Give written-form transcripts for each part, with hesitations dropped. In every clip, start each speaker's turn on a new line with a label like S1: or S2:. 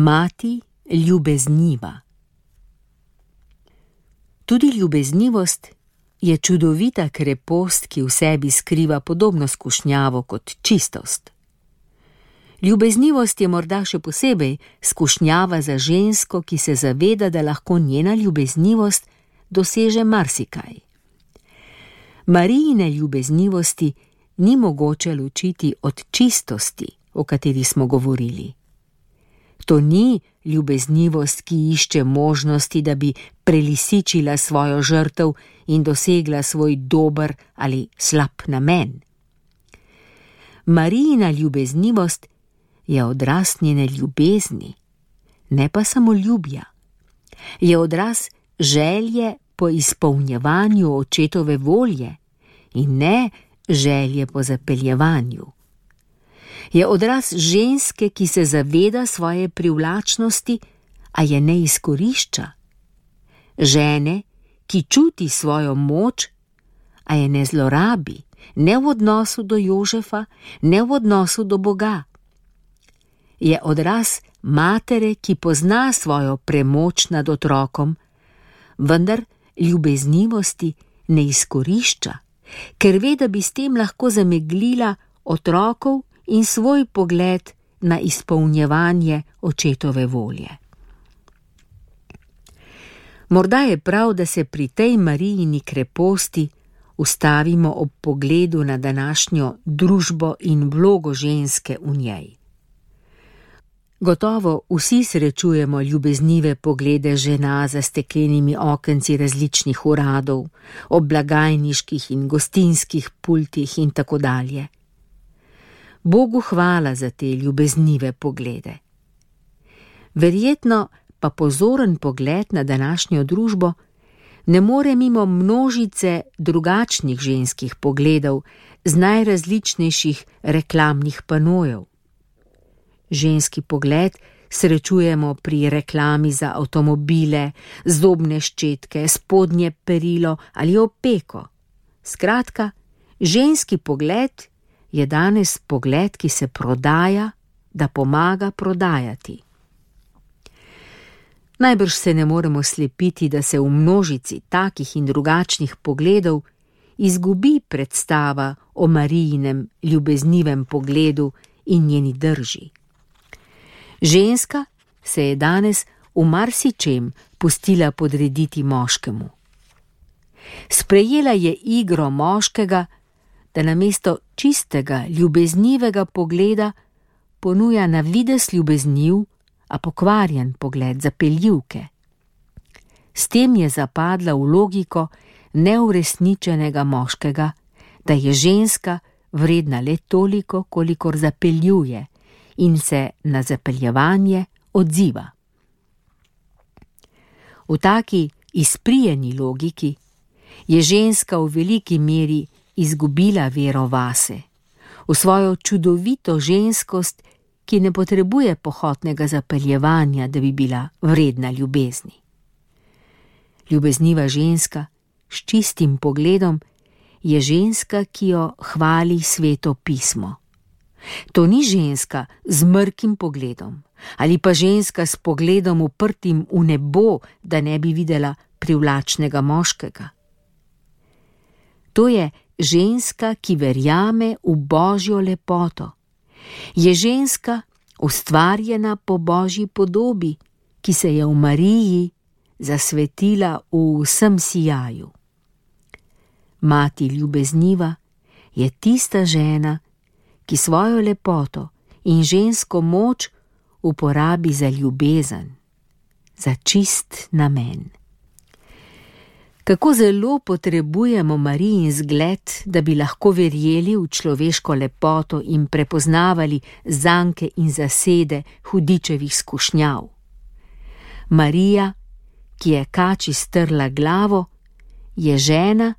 S1: Mati ljubezniva. Tudi ljubeznivost je čudovita krepost, ki v sebi skriva podobno skušnjavo kot čistost. Ljubeznivost je morda še posebej skušnjava za žensko, ki se zaveda, da lahko njena ljubeznivost doseže marsikaj. Marijine ljubeznivosti ni mogoče ločiti od čistosti, o kateri smo govorili. To ni ljubeznivost, ki išče možnosti, da bi prelisičila svojo žrtev in dosegla svoj dober ali slab namen. Marijina ljubeznivost je odraz njene ljubezni, ne pa samo ljubja. Je odraz želje po izpolnjevanju očetove volje in ne želje po zapeljevanju. Je odraz ženske, ki se zaveda svoje privlačnosti, a je ne izkorišča. Žene, ki čuti svojo moč, a je ne zlorabi, ne v odnosu do Jožefa, ne v odnosu do Boga. Je odraz matere, ki pozna svojo premoč nad otrokom, vendar ljubeznivosti ne izkorišča, ker ve, da bi s tem lahko zameglila otrokov in svoj pogled na izpolnjevanje očetove volje. Morda je prav, da se pri tej Marijini kreposti ustavimo ob pogledu na današnjo družbo in vlogo ženske v njej. Gotovo vsi srečujemo ljubeznive poglede žena za steklenimi okenci različnih uradov, ob blagajniških in gostinskih pultih in tako dalje. Bogu hvala za te ljubeznive poglede. Verjetno pa pozoren pogled na današnjo družbo ne more mimo množice drugačnih ženskih pogledov z najrazličnejših reklamnih panojev. Ženski pogled srečujemo pri reklami za avtomobile, zobne ščetke, spodnje perilo ali opeko. Skratka, ženski pogled je danes pogled, ki se prodaja, da pomaga prodajati. Najbrž se ne moremo slepiti, da se v množici takih in drugačnih pogledov izgubi predstava o Marijinem ljubeznivem pogledu in njeni drži. Ženska se je danes v marsičem pustila podrediti moškemu. Sprejela je igro moškega, da namesto čistega, ljubeznivega pogleda ponuja na videz ljubezniv, a pokvarjen pogled zapeljivke. S tem je zapadla v logiko neuresničenega moškega, da je ženska vredna le toliko, kolikor zapeljuje in se na zapeljevanje odziva. V taki izprijeni logiki je ženska v veliki meri izgubila vero vase, v svojo čudovito ženskost, ki ne potrebuje pohotnega zapeljevanja, da bi bila vredna ljubezni. Ljubezniva ženska s čistim pogledom je ženska, ki jo hvali Sveto pismo. To ni ženska z mrkim pogledom ali pa ženska s pogledom uprtim v nebo, da ne bi videla privlačnega moškega. To je ženska, ki verjame v Božjo lepoto. Je ženska ustvarjena po Božji podobi, ki se je v Mariji zasvetila v vsem sijaju. Mati ljubezniva je tista žena, ki svojo lepoto in žensko moč uporabi za ljubezen, za čist namen. Kako zelo potrebujemo Marijin zgled, da bi lahko verjeli v človeško lepoto in prepoznavali zanke in zasede hudičevih skušnjav. Marija, ki je kači strla glavo, je žena,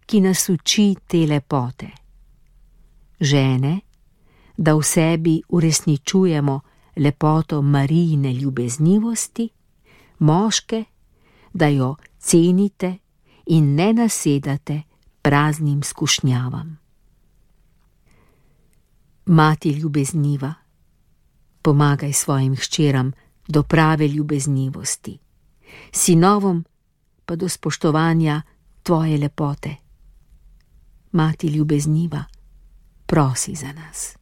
S1: ki nas uči te lepote. Žene, da v sebi uresničujemo lepoto Marijine ljubeznivosti, moške, da jo cenite in ne nasedate praznim skušnjavam. Mati ljubezniva, pomagaj svojim hčeram, do prave ljubeznivosti, sinovom pa do spoštovanja tvoje lepote. Mati ljubezniva, prosi za nas.